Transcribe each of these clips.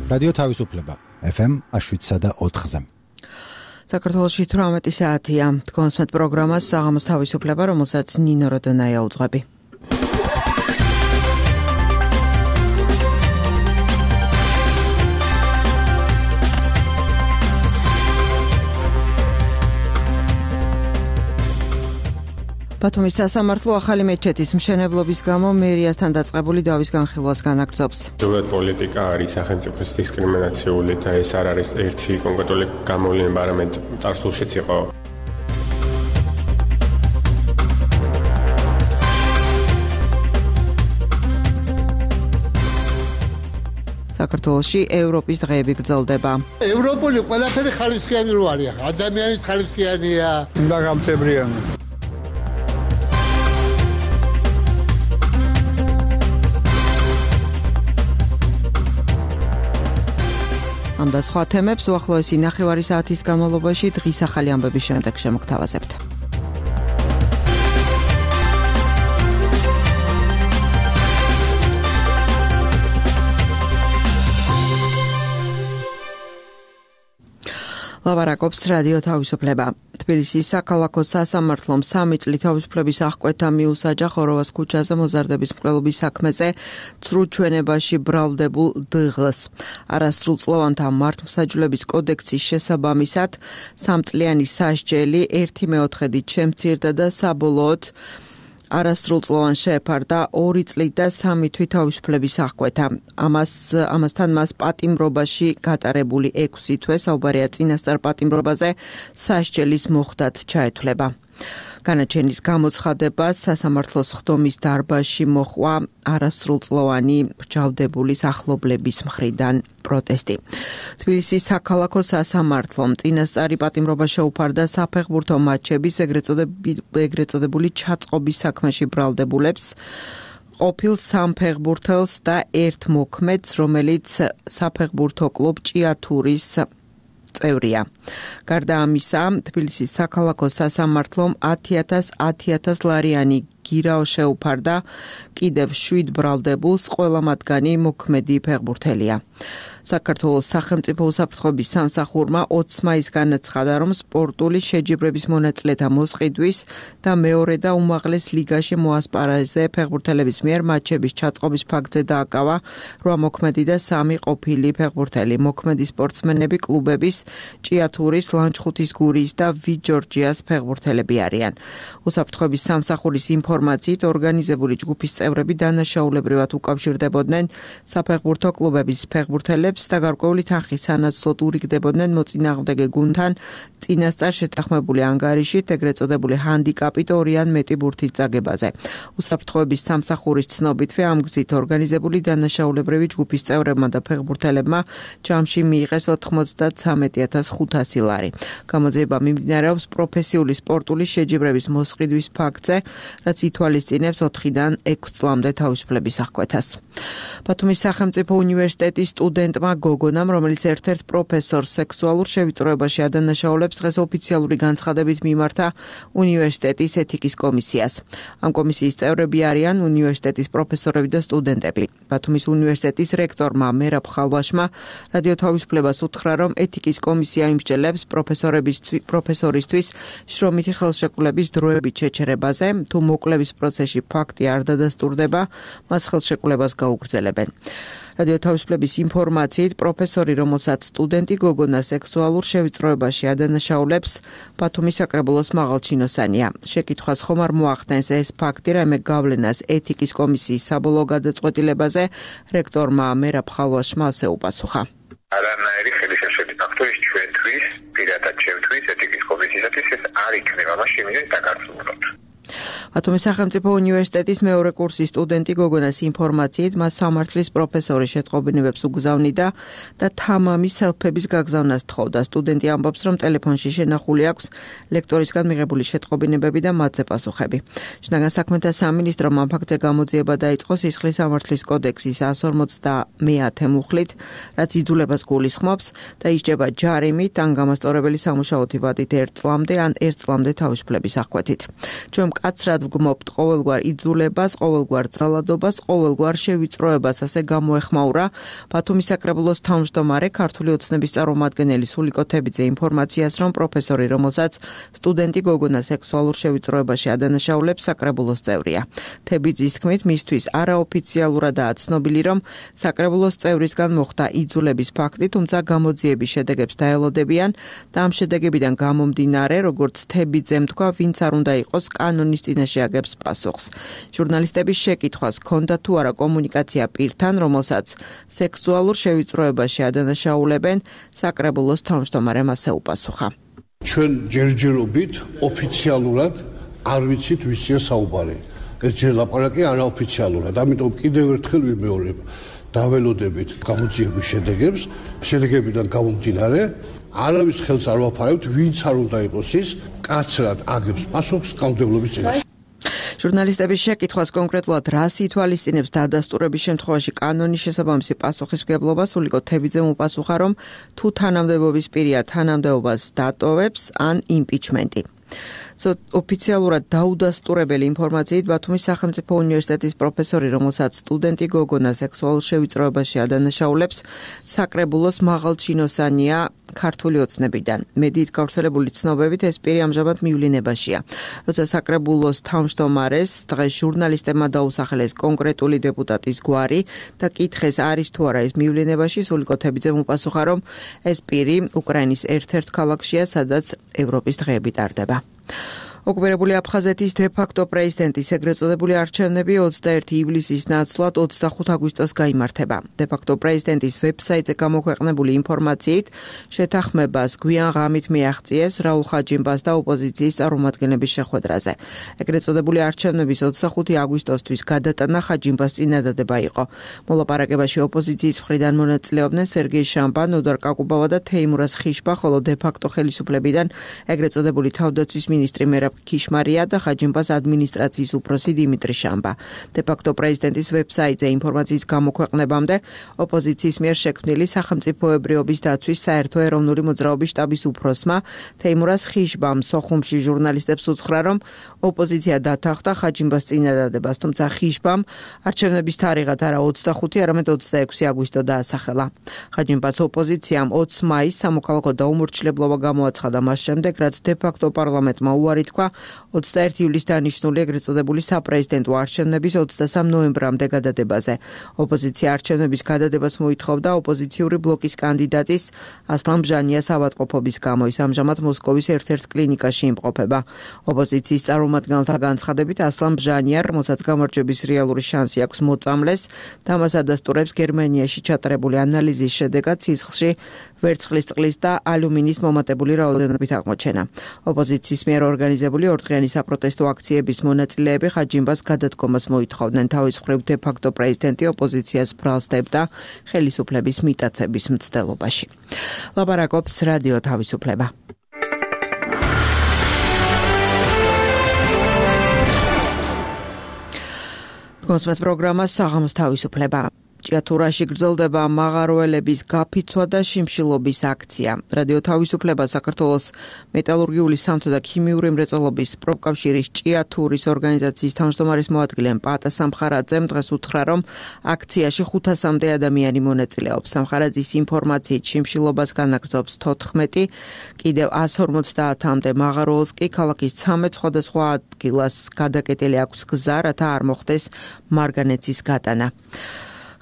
რადიო თავისუფლება FM 107.4-ზე. საქართველოში 18 საათია. კონსმეთ პროგრამას საღამოს თავისუფლება, რომელსაც ნინო როდონაია უძღვები. ბათუმის სასამართლო ახალი მეჩეთის მშენებლობის გამო მერიასთან დაწყებული დავის განხილვას განაგრძობს. ზოგადად პოლიტიკა არის სახელმწიფოს დისკრიმინაციული და ეს არ არის ერთი კონკრეტული გამოვლენა, არამედ წარსულშიც იყო. საქართველოში ევროპის დღეები გრძელდება. ევროპული ყველაფერი ხალისიანი რო არის, ადამიანის ხალისიანია და გამთებრიანი. ამ და სხვა თემებს უახლოესი ნახევარი საათის განმავლობაში დღის ახალი ამბების შემდეგ შემოგთავაზებთ. ლაბარაკობს რადიო თავისუფლება. თბილისის საქალაქო სასამართლომ 3 წლით თავისუფლების აღკვეთა მიუსაჯა ხოროვას ქუჩაზე მოზარდების მკვლელობის საქმეზე ცრუ ჩვენებაში ბრალდებულ დღლს. არასრულწლოვანთა მართლმსაჯულების კოდექსის შესაბამისად 3 წლიანი სასჯელი 1/4-ით შემცირდა და საბოლოოდ არასრულწლოვან შეეფარდა 2 წლით და 3 თვით თავისუფლების აღკვეთა. ამასთან მას პატიმრობაში გატარებული 6 თვე საუბარია წინასწარ პატიმრობაზე სასჯელის მოხდათ ჩაეთვლება. განაჩენის გამოცხადებას სასამართლოს ხდომის დარბაზში მოჰყვა არასრულწლოვანი მრჯავდებულის ახლობლების მხრიდან პროტესტი. თბილისის საქალაქო სასამართლომ წინასწარი პატიმრობა შეუფარდა საფეხბურთო მატჩების ეგრეთ წოდებული ჩაწყობის საქმეში ბრალდებულებს, ყოფილ სამფეხბურთელს და ერთ მოქმედს, რომელიც საფეხბურთო კლუბ ჭიათურის წევრია. გარდა ამისა, თბილისის საქალაქო სასამართლომ 10,000 ლარიანი გირაო შეუფარდა კიდევ 7 ბრალდებულს, ყველა მათგანი მოქმედი ფეხბურთელია. საქართველოს სახელმწიფო უსაფრთხოების სამსახურმა 20 მაისს განაცხადა, რომ სპორტული შეჯიბრების მონაწილეთა მოსყიდვის და მეორე და უმაღლეს ლიგაში მოასპარეზე ფეხბურთელების მიერ მატჩების ჩაწყობის ფაქტზე დააკავა 8 მოქმედი და 3 ყოფილი ფეხბურთელი. მოქმედი სპორტსმენები კლუბების ჭიათურის, ლანჩხუთის გურიის და ვიჯორჯიას ფეხბურთელები არიან. უსაფრთხოების სამსახურის ინფორმაციით ორგანიზებული ჯგუფის წევრები დანაშაულებრივად უკავშირდებოდნენ საფეხბურთო კლუბების ფეხბურთელებს და გარკვეული თანხის სანაცვლოდ ურიგდებოდნენ მოწინააღმდეგე გუნდთან წინასწარ შეთანხმებული ანგარიშით ეგრეთ წოდებული ჰანდიკაპით 2 ან მეტი ბურთით წაგებაზე. უსაფრთხოების სამსახურის ცნობითვე ამ გზით ორგანიზებული დანაშაულებრივი ჯგუფის წევრებმა და ფეხბურთელებმა ჯამში მიიღეს 93,500 ლარი. გამოძიება მიმდინარეობს პროფესიული სპორტული შეჯიბრების მოსყიდვის ფაქტზე, რაც ითვალისწინებს 4-დან 6 წლამდე თავისუფლების აღკვეთას. ბათუმის სახელმწიფო უნივერსიტეტის სტუდენტმა გოგონამ, რომელიც ერთ-ერთ პროფესორს სექსუალურ შევიწროებაში ადანაშაულებს, დღეს ოფიციალური განცხადებით მიმართა უნივერსიტეტის ეთიკის კომისიას. ამ კომისიის წევრები არიან უნივერსიტეტის პროფესორები და სტუდენტები. ბათუმის უნივერსიტეტის რექტორმა მერაბ ხალვაშმა რადიო თავისუფლებას უთხრა, რომ ეთიკის კომისია იმსჯელებს პროფესორისთვის შრომითი ხელშეკრულების დროებით შეჩერებაზე, თუ მოკლების პროცესში ფაქტი არ დადასტურდება, მას ხელშეკრულებას გაუგრძელებენ. რადიო თავისუფლების ინფორმაციით, პროფესორი, რომელსაც სტუდენტი გოგონა სექსუალურ შევიწროებაში ადანაშაულებს, ბათუმის საკრებულოს მაღალჩინოსანია. შეკითხვას ხომ არ მოახდენს ეს ფაქტი, რაიმე გავლენას ეთიკის კომისიის საბოლოო გადაწყვეტილებაზე, რექტორმა მერაბ ხალვაშმა ასე უპასუხა. არანაირი ხელისშეშლილი ფაქტორი ჩვენთვის, პირადად ჩემთვის, ეთიკის კომისიისათვის ეს არ იქნება, მას შემინეთ დაგარწმუნოთ. ბათუმის სახელმწიფო უნივერსიტეტის მეორე კურსის სტუდენტი გოგონას ინფორმაციით, მას სამართლის პროფესორი შეტყობინებებს უგზავნიდა და თამამის სელფების გაგზავნას თხოვდა. სტუდენტი ამბობს, რომ ტელეფონში შენახული აქვს ლექტორისგან მიღებული შეტყობინებები და მათზე პასუხები. შინაგან საქმეთა სამინისტრომ ამ ფაქტზე გამოძიება დაიწყო სისხლის სამართლის კოდექსის 150 მუხლით, რაც იძულებას გულისხმობს და ისჯება ჯარიმით ან გამასწორებელი სამუშაოთი ვადით 1 წლამდე ან 1 წლამდე თავისუფლების აღკვეთით. ჩვენ მკაცრად ვგმობთ ყოველგვარ იძულებას, ყოველგვარ ძალადობას, ყოველგვარ შევიწროებას, ასე გამოეხმაურა ბათუმის საკრებულოს თავმჯდომარე ქართული ოცნების წარმომადგენელი სულიკო თებიძე ინფორმაციას, რომ პროფესორი, რომელსაც სტუდენტი გოგონა სექსუალურ შევიწროებაში ადანაშაულებს, საკრებულოს წევრია. თებიძის თქმით, მისთვის არაოფიციალურადაა ცნობილი, რომ საკრებულოს წევრისგან მოხდა იძულების ფაქტი, თუმცა გამოძიების შედეგებს დაელოდებიან და ამ შედეგებიდან გამომდინარე, როგორც თებიძემ თქვა, ვინც არ უნდა იყოს კანონის წინაშე აგებს პასუხს. ჟურნალისტების შეკითხვას ჰქონდა თუ არა კომუნიკაცია პირთან, რომელსაც სექსუალურ შევიწროებაში ადანაშაულებენ, საკრებულოს თავმჯდომარემ ასე უპასუხა. ჩვენ ჯერჯერობით ოფიციალურად არ ვიცით ვისია საუბარი. ეს ჯერ ლაპარაკი არაოფიციალურად. ამიტომ კიდევ ერთხელ ვიმეორებ, დაველოდებით გამოძიების შედეგებს, შედეგებიდან გამომდინარე, არავის ხელს არ ვაფარებთ, ვინც არ უნდა იყოს ის, კაცრად აგებს პასუხს კანონმდებლობის წინაშე. ჟურნალისტების შეკითხვას კონკრეტულად რას ითვალისწინებს დადასტურების შემთხვევაში კანონის შესაბამისი პასუხისმგებლობა, სულიკო თებიძემ უპასუხა, რომ თუ თანამდებობის პირია თანამდებობას დატოვებს ან იმპიჩმენტი. ოფიციალურად დაუდასტურებელი ინფორმაციით ბათუმის სახელმწიფო უნივერსიტეტის პროფესორი, რომელსაც სტუდენტი გოგონა სექსუალურ შევიწროებაში ადანაშაულებს, საკრებულოს მაღალჩინოსანია ქართული ოცნებიდან. მედიით გავრცელებული ცნობებით ეს პირი ამჟამად მივლინებაშია. როცა საკრებულოს თავმჯდომარეს დღეს ჟურნალისტებმა დაუსახელეს კონკრეტული დეპუტატის გვარი და კითხეს არის თუ არა ეს მივლინებაში, სულიკო თებიძემ უპასუხა, რომ ეს პირი უკრაინის ერთ-ერთ ქალაქშია, სადაც ევროპის დღეები ტარდება. ოკუპირებული აფხაზეთის დე-ფაქტო პრეზიდენტის ეგრეთ წოდებული არჩევნები 21 ივლისის ნაცვლად 25 აგვისტოს გაიმართება. დე-ფაქტო პრეზიდენტის ვებსაიტზე გამოქვეყნებული ინფორმაციით, შეთანხმებას გვიან ღამით მიაღწიეს რაულ ხაჯიმბას და ოპოზიციის წარმომადგენლების შეხვედრაზე. ეგრეთ წოდებული არჩევნების 25 აგვისტოსთვის გადატანა ხაჯიმბას წინადადება იყო. მოლაპარაკებაში ოპოზიციის მხრიდან მონაწილეობდნენ სერგეი შამბა, ნოდარ კაკუბავა და თეიმურაზ ხიშბა, ხოლო დე-ფაქტო ხელისუფლებიდან ეგრეთ წოდებული თავდაცვის მინისტრი მერაბ ქიშმარია და ხაჯიმბას ადმინისტრაციის უფროსი დიმიტრი შამბა. დე-ფაქტო პრეზიდენტის ვებსაიტზე ინფორმაციის გამოქვეყნებამდე ოპოზიციის მიერ შექმნილი სახელმწიფოებრიობის დაცვის საერთო ეროვნული მოძრაობის შტაბის უფროსმა თეიმურაზ ხიშბამ სოხუმში ჟურნალისტებს უთხრა, რომ ოპოზიცია დათანხმდა ხაჯიმბას წინადადებას, თუმცა ხიშბამ არჩევნების თარიღად არა 25, არამედ 26 აგვისტო დაასახელა. ხაჯიმბას ოპოზიციამ 20 მაისს სამოქალაქო დაუმორჩილებლობა გამოაცხადა მას შემდეგ, რაც დე-ფაქტო პარლამენტმა უარი თქვა 21 ივლისს დანიშნული ეგრეთ წოდებული საპრეზიდენტო არჩევნების 23 ნოემბრამდე გადადებაზე. ოპოზიცია არჩევნების გადადებას მოითხოვდა ოპოზიციური ბლოკის კანდიდატის ასლან ბჟანიას ავადმყოფობის გამო. ის ამჟამად მოსკოვის ერთ-ერთ კლინიკაში იმყოფება. ოპოზიციის წარმომადგენელთა განცხადებით, ასლან ბჟანია, რომელსაც გამარჯვების რეალური შანსი აქვს მოწამლეს, და მას ადასტურებს გერმანიაში ჩატარებული ანალიზის შედეგად სისხლში ვერცხლის წყლის და ალუმინის მომატებული რაოდენობით აღმოჩენა. ოპოზიციის მიერ ორგანიზებული ორდღიანი საპროტესტო აქციების მონაწილეები ხაჯიმბას გადადგომას მოითხოვდნენ. თავის მხრივ დე-ფაქტო პრეზიდენტი ოპოზიციას ბრალს დებდა ხელისუფლების მიტაცების მცდელობაში. ლაპარაკობს რადიო თავისუფლება. კონსმეთ პროგრამა საღამოს თავისუფლება. ჭიათურაში გრძელდება მაღაროელების გაფიცვა და შიმშილობის აქცია. რადიო თავისუფლება საქართველოს მეტალურგიული სამთო და ქიმიური მრეწველობის პროფკავშირის ჭიათურის ორგანიზაციის თავმჯდომარის მოადგილე პატა სამხარაძემ დღეს უთხრა, რომ აქციაში 500-მდე ადამიანი მონაწილეობს. სამხარაძის ინფორმაციით შიმშილობას განაგრძობს 14, კიდევ 150-მდე მაღაროელს კი ქალაქის 13 სხვადასხვა ადგილას გადაკეტილი აქვს გზა, რათა არ მოხდეს მარგანეცის გატანა.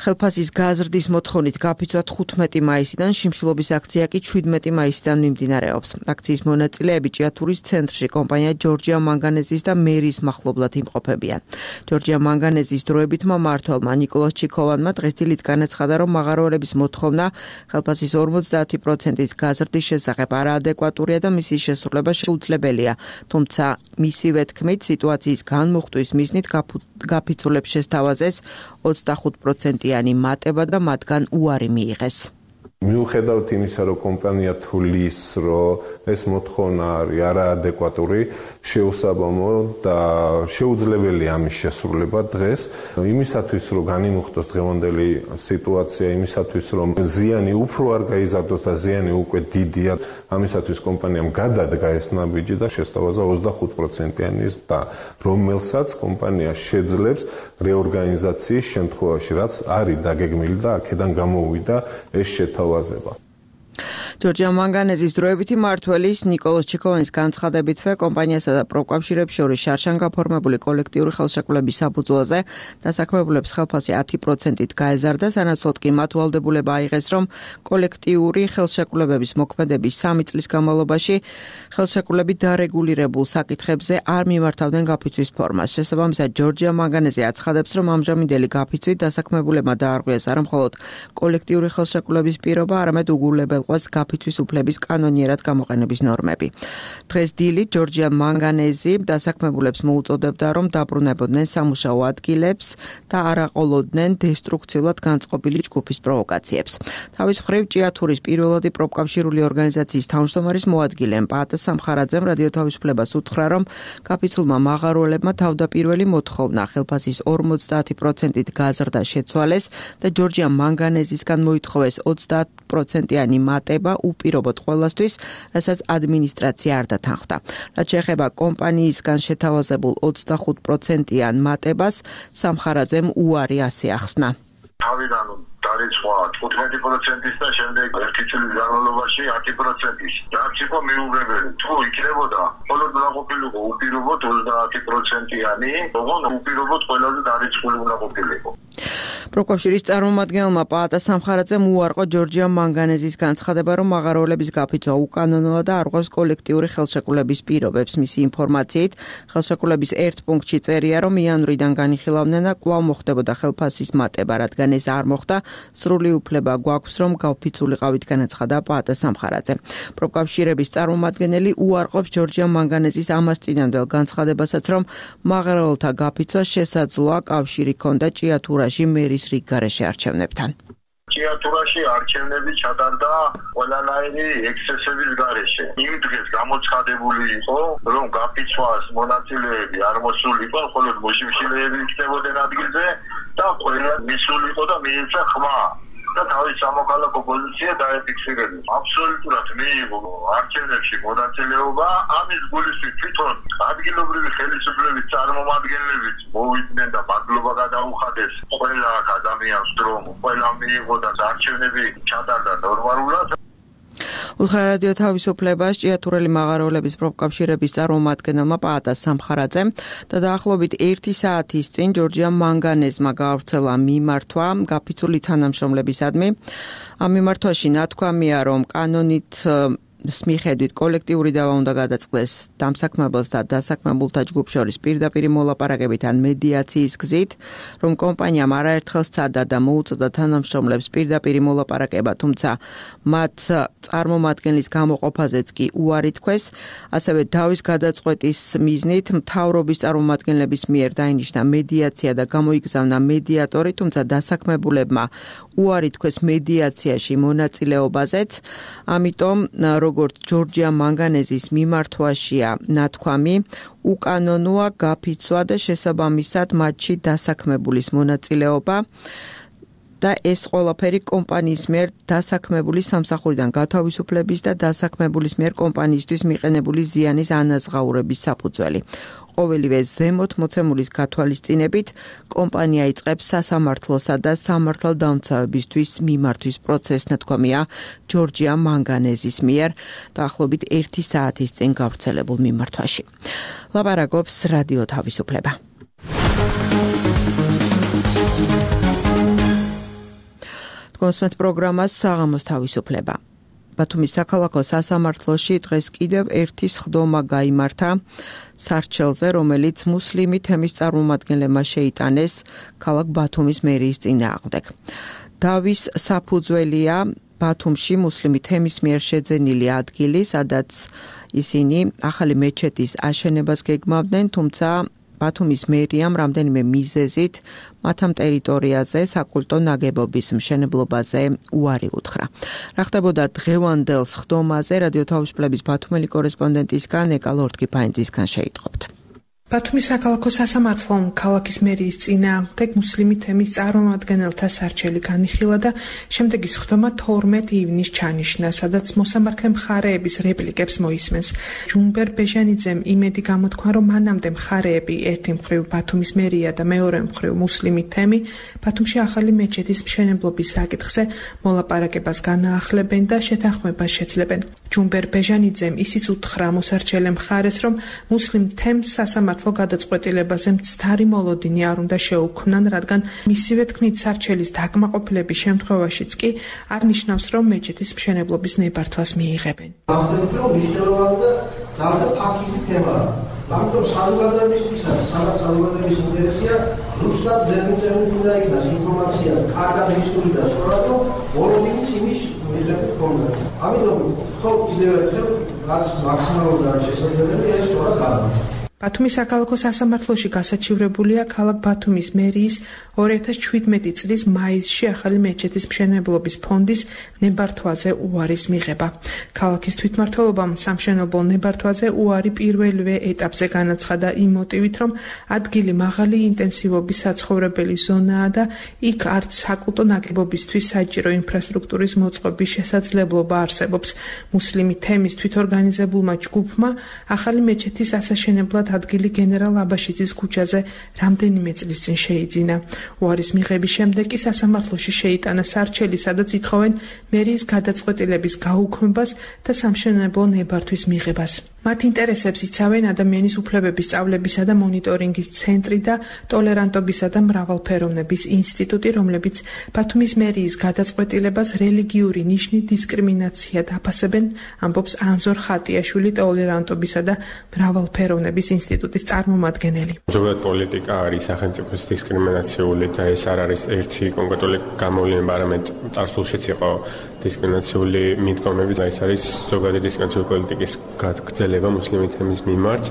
ხელფასის გაზრდის მოთხოვნით გაფიცვა 15 მაისიდან, შიმშილობის აქცია კი 17 მაისიდან მიმდინარეობს. აქციის მონაწილეები ჭიათურის ცენტრში კომპანია ჯორჯია მანგანეზის და მერის მახლობლად იმყოფებიან. ჯორჯია მანგანეზის დროებითმა მმართველმა ნიკოლოზ ჩიქოვანმა დღეს დილით განაცხადა, რომ მაღაროელების მოთხოვნა ხელფასის 50%-ით გაზრდის შესახებ არაადეკვატურია და მისი შესრულება შეუძლებელია. თუმცა მისივე თქმით, სიტუაციის განმუხტვის მიზნით გაფიცულებს შესთავაზეს 25%-იანი მატება და მათგან უარი მიიღეს. მიუხედავად იმისა, რომ კომპანია თulis, რომ ეს მოთხოვნა არის არაადეკვატური, შეუსაბამო და შეუძლებელია ამის შესრულება დღეს. იმისათვის, რომ განიმუხტოს დღევანდელი სიტუაცია, იმისათვის, რომ ზიანი უფრო არ გაიზარდოს და ზიანი უკვე დიდია, ამისათვის კომპანიამ გადადგა ეს ნაბიჯი და შესთავაზა 25%-იანი და რომელსაც კომპანია შეძლებს რეორგანიზაციის შემთხვევაში, რაც არის დაგეგმილი და აქედან გამოვიდა ეს შეთავაზება. ჯორჯია მანგანეზის დროებითი მმართველის ნიკოლოზ ჩიქოვანის განცხადებითვე კომპანიასა და პროკავშირებს შორის შარშან გაფორმებული კოლექტიური ხელშეკრულების საფუძველზე დასაქმებულებს ხელფასი 10%-ით გაეზარდა, სანაცვლოდ კი მათ ვალდებულება აიღეს, რომ კოლექტიური ხელშეკრულებების მოქმედების 3 წლის განმავლობაში ხელშეკრულებით დარეგულირებულ საკითხებზე არ მიმართავდნენ გაფიცვის ფორმას. შესაბამისად, ჯორჯია მანგანეზი აცხადებს, რომ ამჟამინდელი გაფიცვით დასაქმებულებმა დაარღვიეს არა მხოლოდ კოლექტიური ხელშეკრულების პირობა, არამედ უგულებელყვას გაფიცვის უფლების კანონიერად გამოყენების ნორმები. დღეს დილით ჯორჯია მანგანეზი დასაქმებულებს მოუწოდებდა, რომ დაბრუნებოდნენ სამუშაო ადგილებს და არ აყოლოდნენ დესტრუქციულად განწყობილი ჯგუფის პროვოკაციებს. თავის მხრივ ჭიათურის პირველადი პროფკავშირული ორგანიზაციის თავმჯდომარის მოადგილე პაატა სამხარაძემ რადიო თავისუფლებას უთხრა, რომ გაფიცულმა მაღაროელებმა თავდაპირველი მოთხოვნა ხელფასის 50%-ით გაზრდა შეცვალეს და ჯორჯია მანგანეზისგან მოითხოვეს 30%-იანი მატება უპირობოდ ყველასთვის, რასაც ადმინისტრაცია არ დათანხმდა. რაც შეეხება კომპანიისგან შეთავაზებულ 25%-იან მატებას, სამხარაძემ უარი ასე ახსნა. თავიდან დარიცხვა 15%-ის და შემდეგ 1 წლის განმავლობაში 10%-ის. რაც იყო მიუღებელი. თუ იქნებოდა მხოლოდ უნდა ყოფილიყო უპირობოდ 30%-იანი, ოღონ უპირობოდ ყველაზე დარიცხული უნდა ყოფილიყო. პროკავშირის წარმომადგენელმა პაატა სამხარაძემ უარყო ჯორჯია მანგანეზის განცხადება, რომ მაღაროელების გაფიცვა უკანონოა და არ ღვევს კოლექტიური ხელშეკრულების პირობებს. მისი ინფორმაციით, ხელშეკრულების ერთ პუნქტში წერია, რომ იანვრიდან განიხილავდნენ და კვლავ მოხდებოდა ხელფასის მატება, რადგან ეს არ მოხდა, სრული უფლება გვაქვს, რომ გავფიცულიყავით, განაცხადა პაატა სამხარაძემ. პროკავშირების წარმომადგენელი უარყოფს ჯორჯია მანგანეზის ამას წინანდელ განცხადებასაც, რომ მაღაროელთა გაფიცვა შესაძლოა კავშირი ჰქონდა ჭიათურაში მერის რიგ გარეშე არჩევნებთან. ჭიათურაში არჩევნები ჩატარდა ყველანაირი ექსცესების გარეშე. იმ დღეს გამოცხადებული იყო, რომ გაფიცვას მონაწილეები არ მოსულიყო, მხოლოდ მოშიშილეები იქნებოდნენ ადგილზე და ყველა მისულიყო და მიეცა ხმა. და თავის სამოქალაქო პოზიცია დაეფიქსირებინა. აბსოლუტურად მიიღო არჩევნებში მონაწილეობა, ამის გულისთვის თვითონ ადგილობრივი ხელისუფლების წარმომადგენლებიც მოვიდნენ და მადლობა გადაუხადეს ყველა ადამიანს, რომ ყველა მიიღო და არჩევნები ჩატარდა ნორმალურად. უთხრა რადიო თავისუფლებას ჭიათურელი მაღაროელების პროფკავშირების წარმომადგენელმა პაატა სამხარაძემ და დაახლოებით 1 საათის წინ ჯორჯია მანგანეზმა გაავრცელა მიმართვა გაფიცული თანამშრომლებისადმი. ამ მიმართვაში ნათქვამია, რომ კანონით მიხედვით კოლექტიური დავა უნდა გადაწყდეს დამსაქმებელს და დასაქმებულთა ჯგუფ შორის პირდაპირი მოლაპარაკებით ან მედიაციის გზით, რომ კომპანიამ არაერთხელ სცადა და მოუწოდა თანამშრომლებს პირდაპირი მოლაპარაკება, თუმცა მათ წარმომადგენლის გამოყოფაზეც კი უარი თქვეს. ასევე დავის გადაწყვეტის მიზნით მთავრობის წარმომადგენლების მიერ დაინიშნა მედიაცია და გამოიგზავნა მედიატორი, თუმცა დასაქმებულებმა უარი თქვეს მედიაციაში მონაწილეობაზეც. ამიტომ როგორც ჯორჯია მანგანეზის მიმართვაშია ნათქვამი, უკანონოა გაფიცვა და შესაბამისად მათში დასაქმებულის მონაწილეობა და ეს ყველაფერი კომპანიის მიერ დასაქმებული სამსახურიდან გათავისუფლების და დასაქმებულის მიერ კომპანიისთვის მიყენებული ზიანის ანაზღაურების საფუძველი. ყოველივე ზემოთ მოცემულის გათვალისწინებით კომპანია იწყებს სასამართლოსა და სამართალდამცავებისთვის მიმართვის პროცესს, ნათქვამია ჯორჯია მანგანეზის მიერ დაახლოებით 1 საათის წინ გავრცელებულ მიმართვაში. ლაპარაკობს რადიო თავისუფლება. კონსმეთ პროგრამას საღამოს თავისუფლება. ბათუმის საქალაქო სასამართლოში დღეს კიდევ ერთი სხდომა გაიმართა სარჩელზე, რომელიც მუსლიმი თემის წარმომადგენლებმა შეიტანეს ქალაქ ბათუმის მერიის წინააღმდეგ. დავის საფუძველია ბათუმში მუსლიმი თემის მიერ შეძენილი ადგილი, სადაც ისინი ახალი მეჩეთის აშენებას გეგმავდნენ, თუმცა ბათუმის მერიამ რამდენიმე მიზეზით მათ ამ ტერიტორიაზე საკულტო ნაგებობის მშენებლობაზე უარი უთხრა. რა ხდებოდა დღევანდელ სხდომაზე რადიო თავისუფლების ბათუმელი კორესპონდენტისგან ეკა ლორდ-კიფაინძისგან შეიტყობთ. ბათუმის საქალაქო სასამართლომ ქალაქის მერიის წინააღმდეგ მუსლიმი თემის წარმომადგენელთა სარჩელი განიხილა და შემდეგი სხდომა 12 ივნისს ჩანიშნა, სადაც მოსამართლე მხარეების რეპლიკებს მოისმენს. ჯუმბერ ბეჟანიძემ იმედი გამოთქვა, რომ მანამდე მხარეები ერთი მხრივ ბათუმის მერია და მეორე მხრივ მუსლიმი თემი ბათუმში ახალი მეჩეთის მშენებლობის საკითხზე მოლაპარაკებას განაახლებენ და შეთანხმებას შეძლებენ. ჯუმბერ ბეჟანიძემ ისიც უთხრა მოსარჩელე მხარეს, რომ მუსლიმ თემს სასამართლო გადაწყვეტილებაზე მცდარი მოლოდინი არ უნდა შეუქმნან, რადგან მისივე თქმით სარჩელის დაკმაყოფილების შემთხვევაშიც კი არ ნიშნავს, რომ მეჩეთის მშენებლობის ნებართვას მიიღებენ. ამიტომ მნიშვნელოვანი და ძალზე ფაქიზი თემაა. ამიტომ საზოგადოებისთვისაც, სადაც საზოგადოების ინტერესია, ზუსტად ზემოწევით უნდა იქნას ინფორმაცია კარგად მისული და სწორად, რომ მოლოდინის იმის მიღებით ქონდა. ამიტომ ხო კიდევ ერთხელ რაც მაქსიმალურად არის შესაძლებელი, ეს სწორად არის. ბათუმის საქალაქო სასამართლოში გასაჩივრებულია ქალაქ ბათუმის მერიის 2017 წლის მაისში ახალი მეჩეთის მშენებლობის ფონდის ნებართვაზე უარის მიღება. ქალაქის თვითმმართველობამ სამშენებლო ნებართვაზე უარი პირველივე ეტაპზე განაცხადა იმ მოტივით, რომ ადგილი მაღალი ინტენსივობის საცხოვრებელი ზონაა და იქ არც საკულტო ნაგებობისთვის საჭირო ინფრასტრუქტურის მოწყობის შესაძლებლობა არსებობს. მუსლიმი თემის თვითორგანიზებულმა ჯგუფმა ახალი მეჩეთის ასაშენებლად ადგილი გენერალ აბაშიძის ქუჩაზე რამდენიმე წლის წინ შეიძინა. უარის მიღების შემდეგ კი სასამართლოში შეიტანა სარჩელი, სადაც ითხოვენ მერიის გადაწყვეტილების გაუქმებას და სამშენებლო ნებართვის მიღებას. მათ ინტერესებს იცავენ ადამიანის უფლებების სწავლებისა და მონიტორინგის ცენტრი და ტოლერანტობისა და მრავალფეროვნების ინსტიტუტი, რომლებიც ბათუმის მერიის გადაწყვეტილებას რელიგიური ნიშნით დისკრიმინაციად აფასებენ, ამბობს ანზორ ხატიაშვილი, ტოლერანტობისა და მრავალფეროვნების ინსტიტუტის წარმომადგენელი. ზოგადად პოლიტიკა არის სახელმწიფოს დისკრიმინაციული და ეს არ არის ერთი კონკრეტული გამოვლენა, არამედ წარსულშიც იყო დისკრიმინაციული მიდგომები. ეს არის ზოგადი დისკრიმინაციული პოლიტიკის გაგრძელება მუსლიმი თემის მიმართ.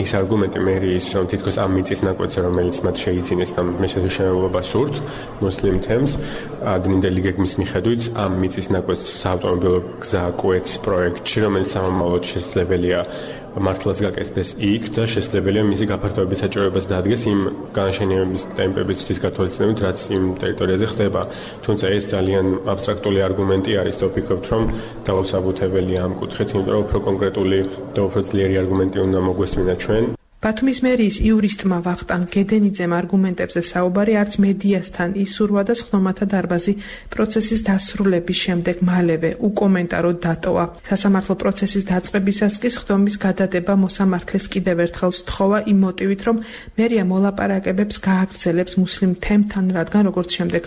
ის არგუმენტი მერიის, რომ თითქოს ამ მიწის ნაკვეთზე, რომელიც მათ შეიძინეს და მეჩეთის მშენებლობას სურთ მუსლიმ თემს, ადმინდელი გეგმის მიხედვით ამ მიწის ნაკვეთს საავტომობილო გზა კვეთს პროექტში, რომელიც სამომავლოდ შესაძლებელია მართლაც გაკეთდეს იქ და შესაძლებელია მისი გაფართოების საჭიროებას დაადგეს იმ განაშენიანების ტემპების გათვალისწინებით, რაც იმ ტერიტორიაზე ხდება. თუმცა ეს ძალიან აბსტრაქტული არგუმენტი არის და ვფიქრობთ, რომ დაუსაბუთებელია ამ კუთხით, იმიტომ რომ უფრო კონკრეტული და უფრო ძლიერი არგუმენტი უნდა მოგვესმინა ჩვენ. ბათუმის მერიის იურისტმა ვახტანგ გედენიძემ არგუმენტებზე საუბარი არც მედიასთან ისურვა და სხდომათა დარბაზი პროცესის დასრულების შემდეგ მალევე უკომენტაროდ დატოვა. სასამართლო პროცესის დაწყებისას კი სხდომის გადადება მოსამართლეს კიდევ ერთხელ სთხოვა იმ მოტივით, რომ მერია მოლაპარაკებებს გააგრძელებს მუსლიმ თემთან, რადგან როგორც შემდეგ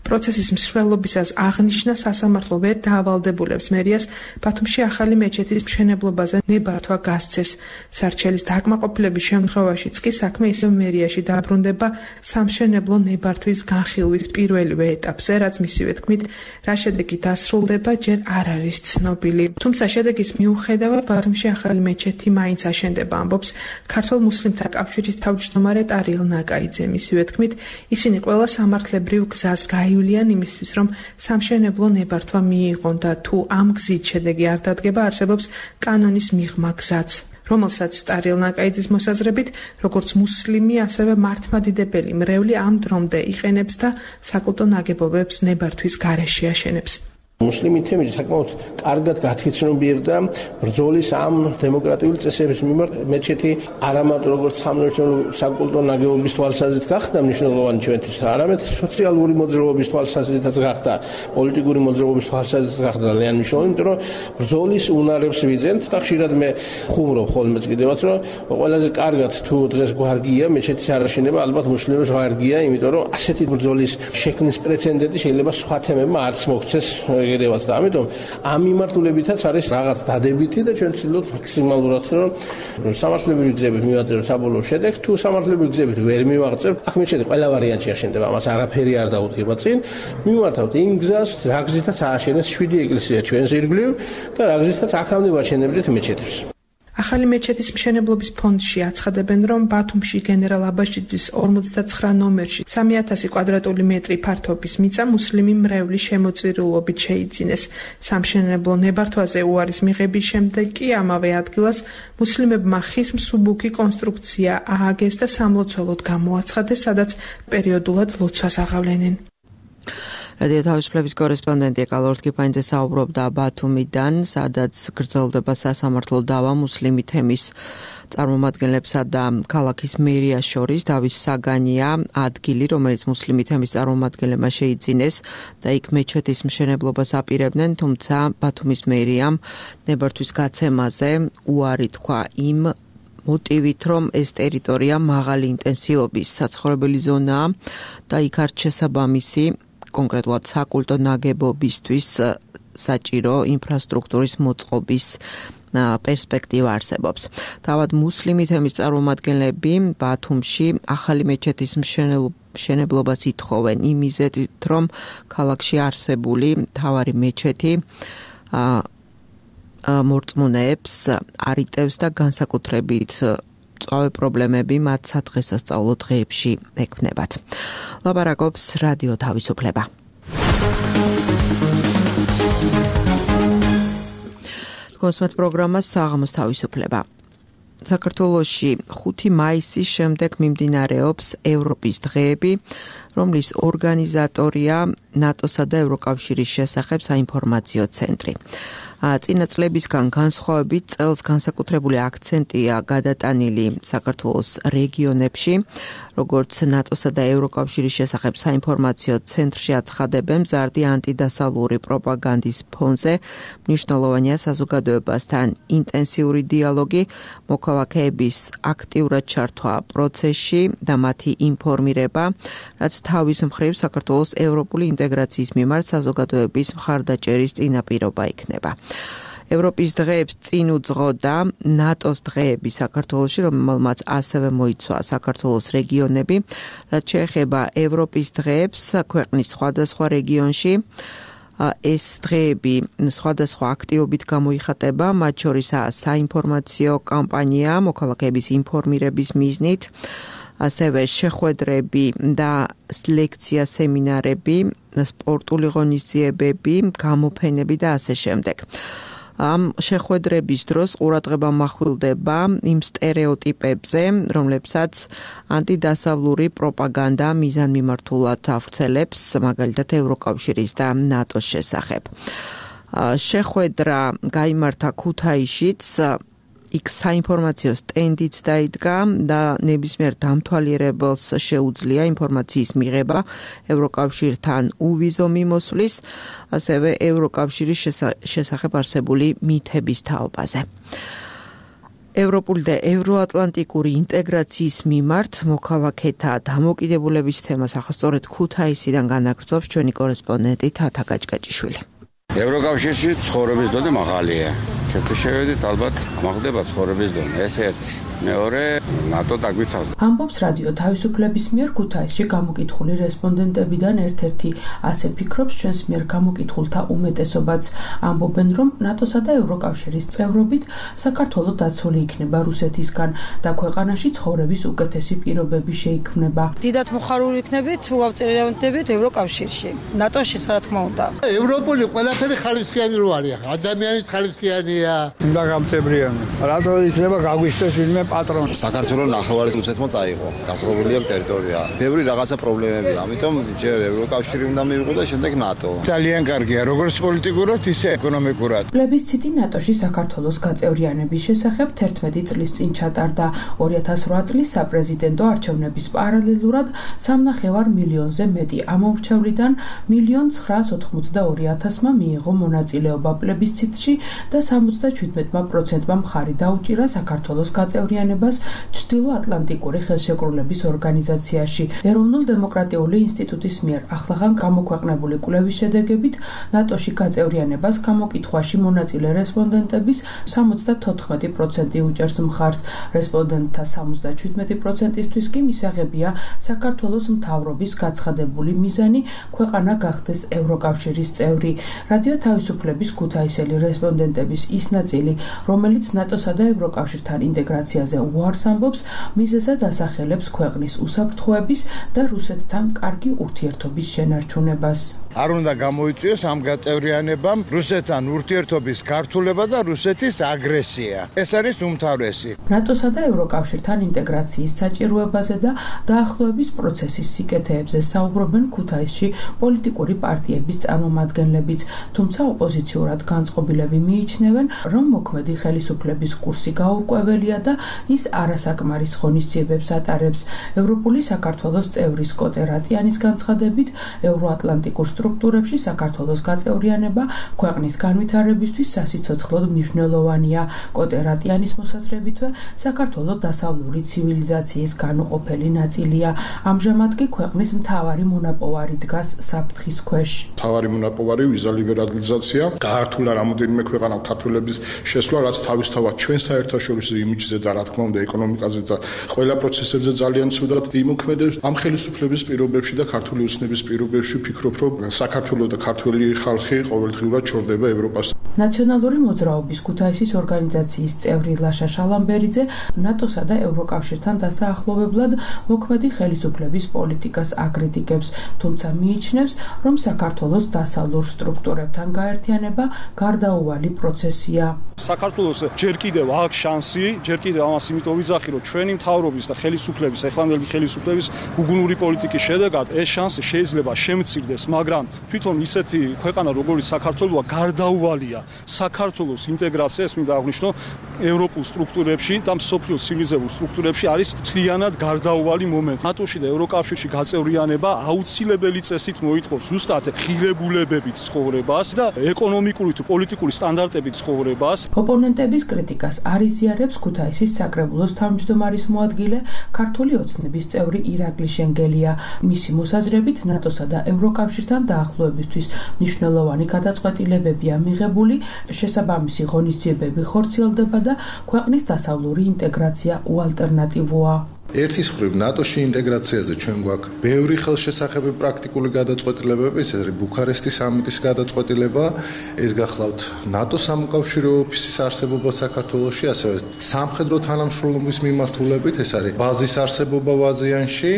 პროცესის მსვლელობისას აღნიშნა, სასამართლო ვერ დაავალდებულებს მერიას ბათუმში ახალი მეჩეთის მშენებლობაზე ნებართვა გასცეს. სარჩელის დაკმაყოფილების შემთხვევაშიც კი საქმე ისევ მერიაში დაბრუნდება სამშენებლო ნებართვის განხილვის პირველივე ეტაპზე, რაც მისივე თქმით, რა შედეგი დასრულდება, ჯერ არ არის ცნობილი. თუმცა შედეგის მიუხედავად ბათუმში ახალი მეჩეთი მაინც აშენდება, ამბობს ქართველ მუსლიმთა კავშირის თავმჯდომარე ტარიელ ნაკაიძე. მისივე თქმით, ისინი ყველა სამართლებრივ გზას გაივლიან იმისთვის, რომ სამშენებლო ნებართვა მიიღონ და თუ ამ გზით შედეგი არ დადგება, არსებობს კანონის მიღმა გზაც, რომელსაც ტარიელ ნაკაიძის მოსაზრებით, როგორც მუსლიმი, ასევე მართლმადიდებელი მრევლი ამ დრომდე იყენებს და საკულტო ნაგებობებს ნებართვის გარეშე აშენებს. მუსლიმი თემი საკმაოდ კარგად გათვითცნობიერდა ბრძოლის ამ დემოკრატიული წესების მიმართ. მეჩეთი არამარტო როგორც სამნაოსნო საკულტო ნაგებობის თვალსაზრისით გახდა მნიშვნელოვანი ჩვენთვის, არამედ სოციალური მოძრაობის თვალსაზრისითაც გახდა, პოლიტიკური მოძრაობის თვალსაზრისით გახდა ძალიან მნიშვნელოვანი, იმიტომ რომ ბრძოლის უნარებს ვიძენთ და ხშირად მე ხუმრობ ხოლმეც კიდევაც, რომ ყველაზე კარგად თუ დღეს გვარგია მეჩეთის არაშენება, ალბათ მუსლიმებს ვარგია, იმიტომ რომ ასეთი ბრძოლის შექმნის პრეცედენტი შეიძლება სხვა თემებმა არც მოგვცეს გედევაც და ამიტომ ამ მიმართულებითაც არის რაღაც დადებითი და ჩვენ ვცდილობთ მაქსიმალურად, რომ სამართლებრივი გზებით მივაწეროთ საბოლოო შედეგს, თუ სამართლებრივი გზებით ვერ მივაღწევთ, აქ მეჩეთი ყველა ვარიანტში აშენდება, ამას არაფერი არ დაუდგება წინ. მივმართავთ იმ გზას, რა გზითაც ააშენეს 7 ეკლესია ჩვენს ირგვლივ და რა გზითაც აქამდე ვაჩენებდით მეჩეთებს. ახალი მეჩეთის მშენებლობის ფონდში აცხადებენ, რომ ბათუმში გენერალ აბაშიძის 59 ნომერში 3000 კვადრატული მეტრი ფართობის მიწა მუსლიმი მრევლის შემოწირულობით შეიძინეს. სამშენებლო ნებართვაზე უარის მიღების შემდეგ კი ამავე ადგილას მუსლიმებმა ხის მსუბუქი კონსტრუქცია ააგეს და სამლოცველოდ გამოაცხადეს, სადაც პერიოდულად ლოცვას აღავლენენ. რადიო თავისუფლების კორესპონდენტი ეკალორდ კიფაინძე საუბრობდა ბათუმიდან, სადაც გრძელდება სასამართლო დავა მუსლიმი თემის წარმომადგენლებსა და ქალაქის მერიას შორის. დავის საგანია ადგილი, რომელიც მუსლიმი თემის წარმომადგენლებმა შეიძინეს და იქ მეჩეთის მშენებლობას აპირებდნენ, თუმცა ბათუმის მერიამ ნებართვის გაცემაზე უარი თქვა იმ მოტივით, რომ ეს ტერიტორია მაღალი ინტენსივობის საცხოვრებელი ზონაა და იქ არ შესაბამისი კონკრეტულად საკულტო ნაგებობისთვის საჭირო ინფრასტრუქტურის მოწყობის პერსპექტივა არსებობს. თავად მუსლიმი თემის წარმომადგენლები ბათუმში ახალი მეჩეთის მშენებლობას ითხოვენ იმ მიზეზით, რომ ქალაქში არსებული მთავარი მეჩეთი მორწმუნეებს არიტევს და განსაკუთრებით მწვავე პრობლემები მათ სადღესასწაულო დღეებში ექმნებათ. ლაპარაკობს რადიო თავისუფლება. კონსმეთ პროგრამა საღამოს თავისუფლება. საქართველოში 5 მაისის შემდეგ მიმდინარეობს ევროპის დღეები, რომლის ორგანიზატორია ნატოსა და ევროკავშირის შესახებ საინფორმაციო ცენტრი. წინა წლებისგან განსხვავებით წელს განსაკუთრებული აქცენტია გადატანილი საქართველოს რეგიონებში, როგორც ნატოსა და ევროკავშირის შესახებ საინფორმაციო ცენტრში აცხადებენ, მზარდი ანტიდასავლური პროპაგანდის ფონზე მნიშვნელოვანია საზოგადოებასთან ინტენსიური დიალოგი, მოქალაქეების აქტიურად ჩართვა პროცესში და მათი ინფორმირება, რაც თავის მხრივ საქართველოს ევროპული ინტეგრაციის მიმართ საზოგადოების მხარდაჭერის წინაპირობა იქნება. ევროპის დღეებს წინ უძღოდა ნატოს დღეები საქართველოში, რომელმაც ასევე მოიცვა საქართველოს რეგიონები, რაც შეეხება ევროპის დღეებს ქვეყნის სხვადასხვა რეგიონში. ეს დღეები სხვადასხვა აქტივობით გამოიხატება, მათ შორისაა საინფორმაციო კამპანია მოქალაქეების ინფორმირების მიზნით, ასევე შეხვედრები და ლექცია სემინარები, სპორტული ღონისძიებები, გამოფენები და ასე შემდეგ. ამ შეხვედრების დროს ყურადღება მახვილდება იმ სტერეოტიპებზე, რომლებსაც ანტიდასავლური პროპაგანდა მიზანმიმართულად ავრცელებს, მაგალითად ევროკავშირის და ნატოს შესახებ. შეხვედრა გაიმართა ქუთაისშიც, იქ საინფორმაციო სტენდიც დაიდგა და ნებისმიერ დამთვალიერებელს შეუძლია ინფორმაციის მიღება ევროკავშირთან უვიზო მიმოსვლის, ასევე ევროკავშირის შესახებ არსებული მითების თაობაზე. ევროპული და ევროატლანტიკური ინტეგრაციის მიმართ მოქალაქეთა დამოკიდებულების თემას ახასწორედ ქუთაისიდან განაგრძობს ჩვენი კორესპონდენტი თათა გაჭგაჭიშვილი. ევროკავშირში ცხოვრების დონე მაღალია. თუ შევედით, ალბათ მაღდება ცხოვრების დონე. ეს ერთი. მეორე, ნატო დაგვიცავდა. ამბობს რადიო თავისუფლების მიერ ქუთაისში გამოკითხული რესპონდენტებიდან ერთ-ერთი. ასე ფიქრობს ჩვენს მიერ გამოკითხულთა უმეტესობაც. ამბობენ, რომ ნატოსა და ევროკავშირის წევრობით საქართველო დაცული იქნება რუსეთისგან და ქვეყანაში ცხოვრების უკეთესი პირობები შეიქმნება. დიდად მოხარული იქნებით, თუ ავწელებდებით ევროკავშირში, ნატოში, რა თქმა უნდა. ევროპული ყველაფერი ხარისხიანი რო არის, ადამიანის ხარისხიანია. უნდა გამწებრიანი. რატო იქნება გაგვიშტეს ვინმე პატრონი. საქართველოს ნახევარის რუსეთმა წაიღო. დაპყრობილია ტერიტორია. ბევრი რაღაცა პრობლემებია. ამიტომ ჯერ ევროკავშირი უნდა მიიღო და შემდეგ ნატო. ძალიან კარგია, როგორც პოლიტიკურად, ისე ეკონომიკურად. პლებისციტი ნატოში საქართველოს გაწევრიანების შესახებ 11 წლის წინ ჩატარდა. 2008 წლის საპრეზიდენტო არჩევნების პარალელურად 3,5 მილიონზე მეტი ამომრჩევლიდან 1,982,000-მა მიიღო მონაწილეობა პლებისციტში და 77%-მა მხარი დაუჭირა საქართველოს გაწევრიანებას ჩრდილო-ატლანტიკური ხელშეკრულების ორგანიზაციაში. ეროვნულ-დემოკრატიული ინსტიტუტის მიერ ახლახან გამოქვეყნებული კვლევის შედეგებით ნატოში გაწევრიანებას გამოკითხვაში მონაწილე რესპონდენტების 74% უჭერს მხარს. რესპონდენტთა 77%-ისთვის კი მისაღებია საქართველოს მთავრობის გაცხადებული მიზანი ქვეყანა გახდეს ევროკავშირის წევრი. რადიო თავისუფლების ქუთაისელი რესპონდენტების ის ნაწილი, რომელიც ნატოსა და ევროკავშირთან ინტეგრაციაზე უარს ამბობს, მიზეზად ასახელებს ქვეყნის უსაფრთხოების და რუსეთთან კარგი ურთიერთობის შენარჩუნებას. არ უნდა გამოიწვიოს ამ გაწევრიანებამ რუსეთთან ურთიერთობის გართულება და რუსეთის აგრესია. ეს არის უმთავრესი. ნატოსა და ევროკავშირთან ინტეგრაციის საჭიროებაზე და დაახლოების პროცესის სიკეთეებზე საუბრობენ ქუთაისში პოლიტიკური პარტიების წარმომადგენლებიც, თუმცა ოპოზიციურად განწყობილები მიიჩნევენ, რომ მოქმედი ხელისუფლების კურსი გაურკვეველია და ის არასაკმარის ღონისძიებებს ატარებს. ევროპული საქართველოს წევრის კოტე რატიანის განცხადებით, ევროატლანტიკურ სტრუქტურებში საქართველოს გაწევრიანება ქვეყნის განვითარებისთვის სასიცოცხლოდ მნიშვნელოვანია. კოტე რატიანის მოსაზრებითვე, საქართველოს დასავლური ცივილიზაციის განუყოფელი ნაწილია. ამჟამად კი ქვეყნის მთავარი მონაპოვარი დგას საფრთხის ქვეშ. მთავარი მონაპოვარი ვიზა ლიბერალიზაცია, გაართულა რამოდენიმე ქვეყანა ქართველების შესვლა, რაც თავისთავად ჩვენ საერთაშორისო იმიჯზე და რა თქმა უნდა ეკონომიკაზე და ყველა პროცესებზე ძალიან ცუდად იმოქმედებს. ამ ხელისუფლების პირობებში და ქართული ოცნების პირობებში ვფიქრობ, რომ საქართველოს და ქართველი ხალხი ყოველდღიურად ჩორდება ევროპას. ნაციონალური მოძრაობის ქუთაისის ორგანიზაციის წევრი ლაშა შალამბერიძე ნატოსა და ევროკავშირთან დასაახლოვებლად მოქმედი ხელისუფლების პოლიტიკას აკრიტიკებს, თუმცა მიიჩნევს, რომ საქართველოს დასავლურ სტრუქტურებთან გაერთიანება გარდაუვალი პროცესია. საქართველოს ჯერ კიდევ აქვს შანსი, ჯერ კიდევ ამას იმიტომ ვიძახი, რომ ჩვენი მთავრობის და ხელისუფლების, ეხლანდელი ხელისუფლების უგუნური პოლიტიკის შედეგად ეს შანსი შეიძლება შემცირდეს, მაგრამ თვითონ ისეთი ქვეყანა როგორც საქართველოა გარდაუვალია საქართველოს ინტეგრაცია, ეს მინდა აღვნიშნო, ევროპულ სტრუქტურებში და მსოფლიოს ცივილიზებულ სტრუქტურებში არის მთლიანად გარდაუვალი მომენტი. ნატოში და ევროკავშირში გაწევრიანება აუცილებელი წესით მოითხოვს ზუსტად ღირებულებებით ცხოვრებას და ეკონომიკური თუ პოლიტიკური სტანდარტებით ცხოვრებას. ოპონენტების კრიტიკას არ იზიარებს ქუთაისის საკრებულოს თავმჯდომარის მოადგილე, ქართული ოცნების წევრი ირაკლი შენგელია. მისი მოსაზრებით, ნატოსა და ევროკავშირთან დაახლოებისთვის მნიშვნელოვანი გადაწყვეტილებებია მიღებული, შესაბამისი ღონისძიებები ხორციელდება და ქვეყნის დასავლური ინტეგრაცია უალტერნატივოა. ერთის მხრივ ნატოში ინტეგრაციაზე ჩვენ გვაქვს ბევრი ხელშესახები პრაქტიკული გადაწყვეტილებები, ეს არის ბუქარესტის სამიტის გადაწყვეტილება, ეს გახლავთ ნატოს სამოკავშირეო ოფისის არსებობა საქართველოში, ასევე სამხედრო თანამშრომლობის მიმართულებით, ეს არის ბაზის არსებობა ვაზიანში,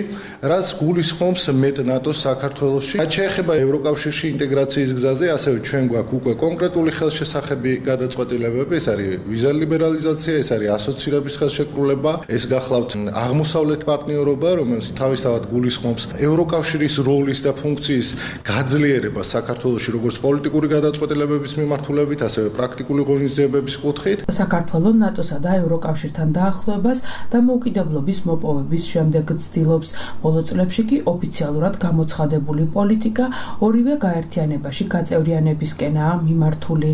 რაც გულისხმობს მეტ ნატოს საქართველოში. რაც შეეხება ევროკავშირში ინტეგრაციის გზაზე, ასევე ჩვენ გვაქვს უკვე კონკრეტული ხელშესახები გადაწყვეტილებები, ეს არის ვიზა ლიბერალიზაცია, ეს არის ასოცირების ხელშეკრულება, ეს გახლავთ აღმოსავლეთ პარტნიორობა, რომელიც თავისთავად გულისხმობს ევროკავშირის როლის და ფუნქციის გაძლიერებას საქართველოში, როგორც პოლიტიკური გადაწყვეტილებების მიმართულებით, ასევე პრაქტიკული ღონისძიებების კუთხით. საქართველოს ნატოსა და ევროკავშირთან დაახლოებას და მოუკიდებლობის მოპოვების შემდეგ ცდილობს. ბოლო წლებში კი ოფიციალურად გამოცხადებული პოლიტიკა ორივე გაერთიანებაში გაწევრიანებისკენაა მიმართული.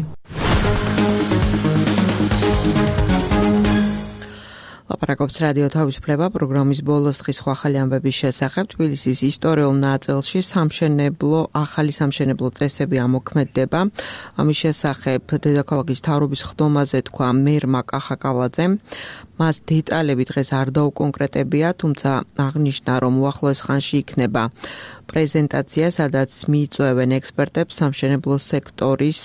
ლაპარაკობს რადიო თავისუფლება პროგრამის ბოლოს დღის ახალი ამბების შესახებ. თბილისის ისტორიულ ნაწილში ახალი სამშენებლო წესები ამოქმედდება. ამის შესახებ დედაქალაქის მთავრობის ხდომაზე თქვა მერმა კახაკალაძემ. მას დეტალები დღეს არ დაუკონკრეტებია, თუმცა აღნიშნა, რომ უახლოეს ხანში იქნება პრეზენტაცია, სადაც მიიწვევენ ექსპერტებს სამშენებლო სექტორის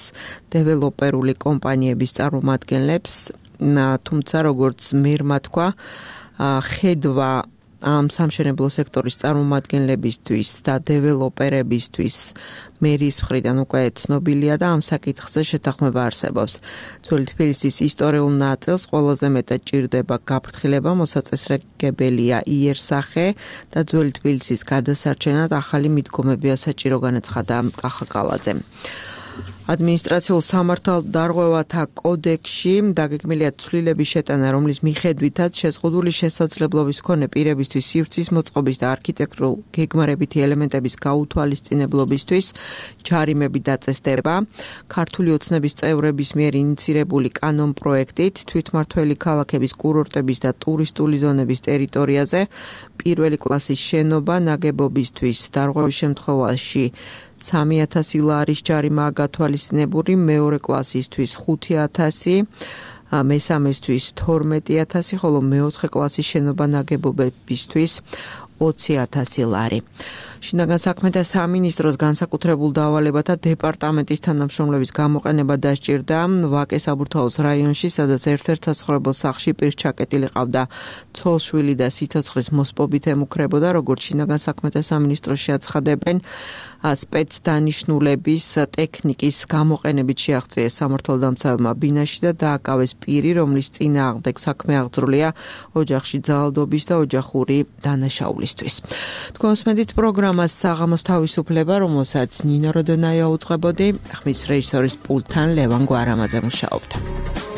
დეველოპერული კომპანიების წარმომადგენლებს. თუმცა როგორც მერმა თქვა, ხედვა ამ სამშენებლო სექტორის წარმომადგენლებისთვის და დეველოპერებისთვის მერის მხრიდან უკვე ცნობილია და ამ საკითხზე შეთანხმება არსებობს. ძველი თბილისის ისტორიულ ნაწილს ყველაზე მეტად ჭირდება გაფრთხილება, მოსაწესრიგებელია იერსახე და ძველი თბილისის გადასარჩენად ახალი მიდგომებია საჭირო, განაცხადა კახაკალაძემ. ადმინისტრაციულ სამართალდარღვევათა კოდექსში დაგეგმილია ცვლილების შეტანა, რომლის მიხედვითაც შეზღუდული შესაძლებლობის მქონე პირებისთვის სივრცის მოწყობის და არქიტექტურულ გეგმარებითი ელემენტების გაუთვალისწინებლობისთვის ჯარიმები დაწესდება. ქართული ოცნების წევრების მიერ ინიცირებული კანონ პროექტით თვითმმართველი ქალაქების, კურორტების და ტურისტული ზონების ტერიტორიაზე პირველი კლასის შენობა ნაგებობისთვის დარღვევის შემთხვევაში 3000 ლარის ჯარიმაა გათვალისწინებული, მეორე კლასისთვის 5000, მესამესთვის 12000, ხოლო მეოთხე კლასის შენობა ნაგებობებისთვის 20000 ლარი. შინაგან საქმეთა სამინისტროს განსაკუთრებულ დავალებათა დეპარტამენტის თანამშრომლების გამოყენება დასჭირდა ვაკეს აბურთაუს რაიონში, სადაც ერთ-ერთ საცხოვრებელ სახლში პირჩაკეტილი ყავდა ცოლშვილი და სიცოცხლის მოსპობით ემუქრებოდა, როგორც შინაგან საქმეთა სამინისტროში აცხადებენ. სპეცდანიშნულების ტექნიკის გამოყენებით შეაღწიეს სამართალდამცავებმა ბინაში და დააკავეს პირი, რომლის წინააღმდეგ საქმე აღძრულია ოჯახში ძალადობის და ოჯახური დანაშაულისთვის. თქვენ უსმენთ პროგრამას საღამოს თავისუფლება, რომელსაც ნინო როდონაია უძღვებოდი, ხმის რეჟისორის პულტთან ლევან გვარამაძე მუშაობდა.